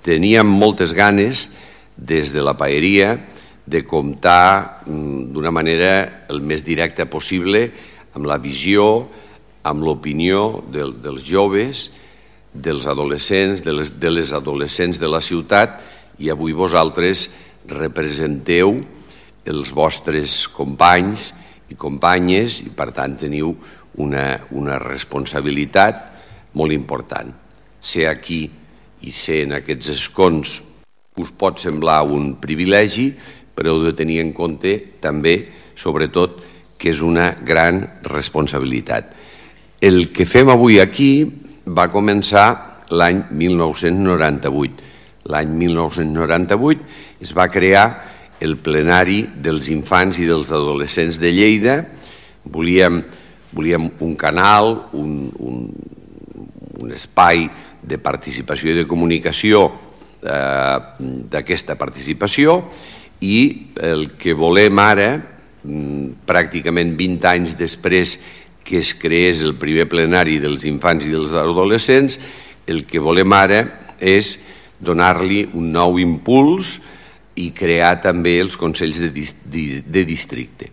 teníem moltes ganes, des de la paeria, de comptar d'una manera el més directa possible amb la visió, amb l'opinió dels joves, dels adolescents, de les adolescents de la ciutat, i avui vosaltres representeu els vostres companys i companyes i per tant teniu una responsabilitat molt important. Ser aquí i ser en aquests escons us pot semblar un privilegi, però heu de tenir en compte també, sobretot, que és una gran responsabilitat. El que fem avui aquí va començar l'any 1998. L'any 1998 es va crear el plenari dels infants i dels adolescents de Lleida. Volíem un canal, un espai de participació i de comunicació d'aquesta participació, i el que volem ara, pràcticament 20 anys després que es creés el primer plenari dels infants i dels adolescents, el que volem ara és donar-li un nou impuls i crear també els consells de districte.